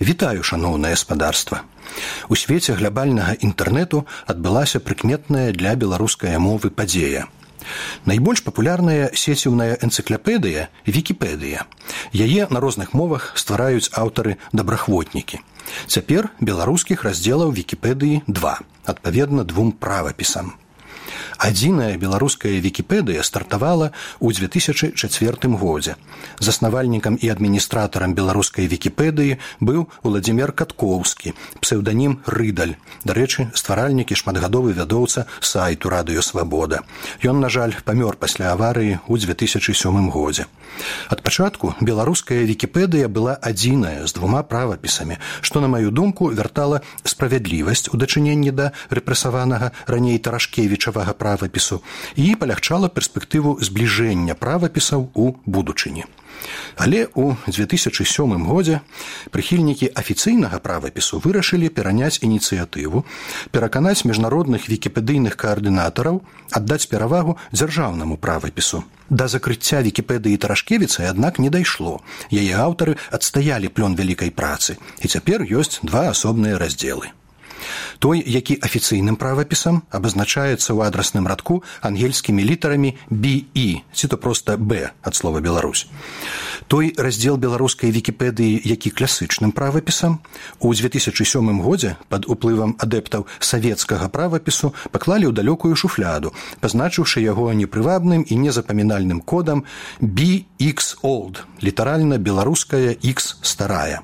Вітаю, шаноўнае спадарства. У свеце глябальнага інтэрнэту адбылася прыкметная для беларускай мовы падзея. Найбольш папулярная сеціўная энцыклапедыя – Вікіпедыя. Яе на розных мовах ствараюць аўтары-дабрахвотнікі. Цяпер беларускіх раздзелаў Вікіпедыі 2, адпаведна 2 правапісам. Адзіная беларуская Вікіпедыя стартавала ў 2004 годзе. Заснавальнікам і адміністратарам беларускай Вікіпедыі быў Уладзімір Каткоўскі, псеўданім Рыдаль. Дарэчы, стваральнік і шматгадовы вядоўца сайту «Радыё Свабода». Ён, на жаль, памёр пасля аварыі ў 2007 годзе. Ад пачатку беларуская Вікіпедыя была адзіная з 2 правапісамі, што, на маю думку, вяртала справядлівасць у дачыненні да рэпрэсаванага раней Тарашкевічавага правапісу і палягчала перспектыву збліжэння правапісаў у будучыні. Але ў 2007 годзе прыхільнікі афіцыйнага правапісу вырашылі пераняць ініцыятыву, пераканаць міжнародных вікіпедыйных каардынатараў аддаць перавагу дзяржаўнаму правапісу. Да закрыцця Вікіпедыі Тарашкевіцай, аднак, не дайшло. Яе аўтары адстаялі плён вялікай працы, і цяпер ёсць 2 асобныя раздзелы. Той, які афіцыйным правапісам абазначаецца ў адрасным радку ангельскімі літарамі BE, ці то проста Б ад слова Беларусь. Той раздзел беларускай Вікіпедыі, які класычным правапісам, у 2007 годзе пад уплывам адэптаў савецкага правапісу паклалі ў далёкую шуфляду, пазначыўшы яго непрывабным і незапамінальным кодам BX-Old, літаральна беларуская X старая.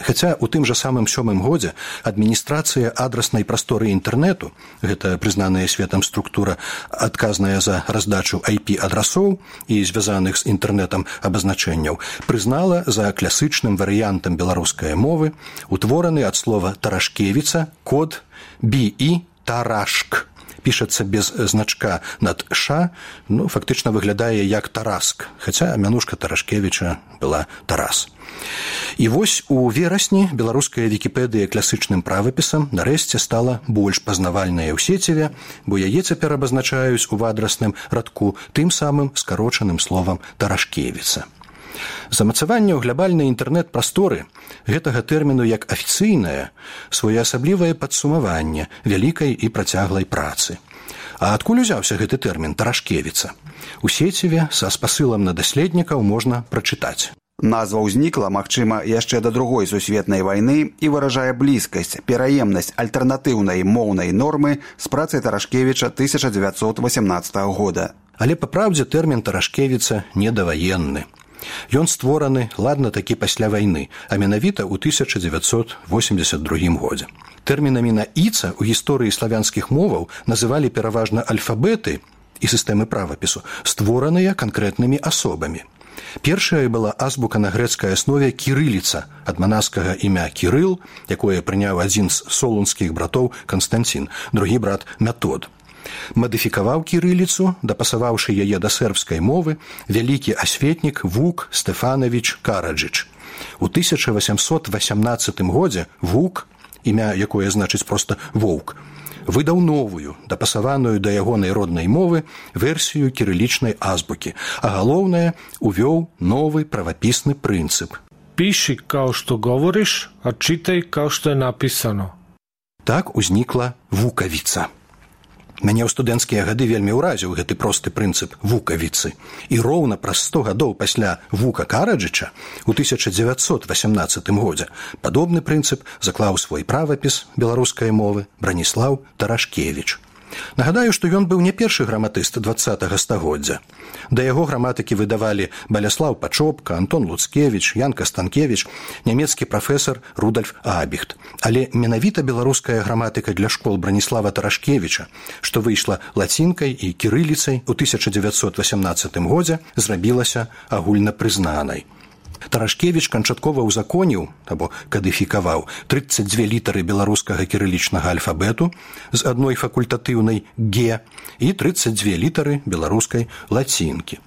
Хаця ў тым жа самым 7 годзе адміністрацыя адраснай прасторы інтэрнэту, гэта прызнаная светам структура, адказная за раздачу IP-адрасоў і звязаных з інтэрнэтам абазначэнняў, прызнала за класычным варыянтам беларускай мовы утвораны ад слова «Тарашкевіца» код BE «Тарашк». Пішацца без значка над «ш», фактычна выглядае як «Тараск», хаця мянушка Тарашкевіча была «Тарас». І вось у верасні беларуская Вікіпедыя класычным правапісам нарэшце стала больш пазнавальная ў сеціве, бо яе цяпер абазначаюць у адрасным радку тым самым скарочаным словам «Тарашкевіца». Замацаванне ў глябальнай інтэрнэт-прасторы гэтага тэрміну як афіцыйнае своеасаблівае падсумаванне вялікай і працяглай працы. А адкуль узяўся гэты тэрмін «Тарашкевіца»? У сеціве са спасылам на даследнікаў можна прачытаць. Назва ўзнікла, магчыма, яшчэ да Другой сусветнай вайны і выражае блізкасць, пераемнасць альтэрнатыўнай моўнай нормы з працай Тарашкевіча 1918 года. Але па праўдзе тэрмін «Тарашкевіца» недаваенны. Ён створаны, ладна, такі пасля вайны, а менавіта ў 1982 годзе. Тэрмінамі на «іца» у гісторыі славянскіх моваў называлі пераважна альфабеты і сістэмы правапісу, створаныя канкрэтнымі асобамі. Першая была азбука на грэцкай аснове кірыліца, ад манаскага імя Кірыл, якое прыняў адзін з солунскіх братоў Канстанцін, другі брат Метод. Мадыфікаваў кірыліцу, дапасаваўшы яе да сербскай мовы, вялікі асветнік Вук Стефанович Караджыч. У 1818 годзе Вук, імя якое значыць проста «воўк», выдаў новую, дапасаваную да ягонай роднай мовы версію кірылічнай азбукі, а галоўнае, увёў новы правапісны прынцып. Піши, као што говориш, а читай, као што е написано. Так узнікла вукавіца. Мяне ў студэнцкія гады вельмі ўразіў гэты просты прынцып вукавіцы. І роўна праз 100 гадоў пасля Вука Караджыча у 1918 годзе падобны прынцып заклаў свой правапіс беларускай мовы Браніслаў Тарашкевіч. Нагадаю, што ён быў не першы граматыст 20-го стагоддзя. Да яго граматыкі выдавалі Баляслаў Пачопка, Антон Луцкевіч, Ян Кастанкевіч, нямецкі прафесар Рудольф Абіхт. Але менавіта беларуская граматыка для школ Браніслава Тарашкевіча, што выйшла лацінкай і кірыліцай у 1918 годзе, зрабілася агульнапрызнанай. Тарашкевіч канчаткова ўзаконіў, або кадыфікаваў 32 літары беларускага кірылічнага альфабету з адной факультатыўнай «Г» і 32 літары беларускай лацінкі.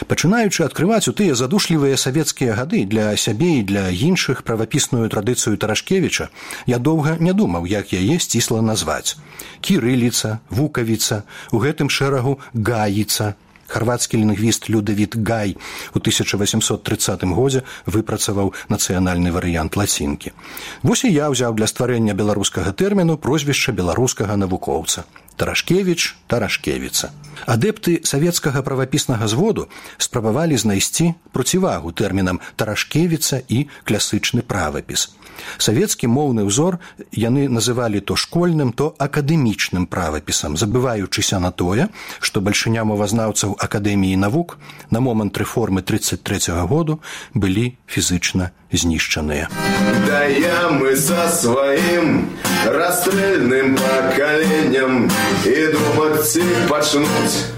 Пачынаючы адкрываць у тыя задушлівыя савецкія гады для сябе і для іншых правапісную традыцыю Тарашкевіча, я доўга не думаў, як яе сцісла назваць. Кірыліца, вукавіца, у гэтым шэрагу гаіца. Харвацкі лінгвіст Людавід Гай у 1830 годзе выпрацаваў нацыянальны варыянт лацінкі. Вось і я ўзяў для стварэння беларускага тэрміну прозвішча беларускага навукоўца. Тарашкевіч, Тарашкевіца. Адэпты савецкага правапіснага зводу спрабавалі знайсці процівагу тэрмінам Тарашкевіца і класычны правапіс. Савецкі моўны ўзор яны называлі то школьным, то акадэмічным правапісам, забываючыся на тое, што бальшыня мовазнаўцаў Акадэміі навук на момант рэформы 33-го году былі фізычна знішчаныя. Да я мы со сваім расстрельным пакаленнем і думаць пачнуць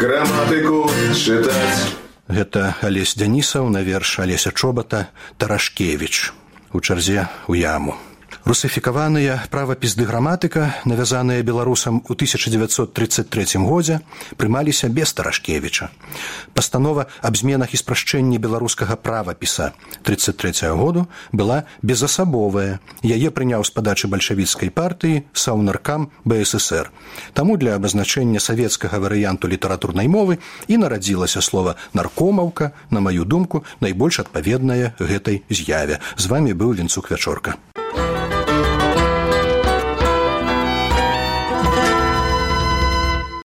граматыку чытаць. Гэта Алесь Дзянісаў на верш Алеся Чобата «Тарашкевіч» у чарзе ў яму. Русифікаваныя правапіс ды граматыка, навязаныя беларусам у 1933 годзе, прымаліся без Тарашкевіча. Пастанова аб зменах і спрашчэнні беларускага правапіса 1933 году была безасабовая. Яе прыняў з падачы бальшавіцкай партыі Саўнаркам БССР. Таму для абазначэння савецкага варыянту літаратурнай мовы і нарадзілася слова «наркомаўка», на маю думку, найбольш адпаведнае гэтай з'яве. З вамі быў Вінцук Вячорка.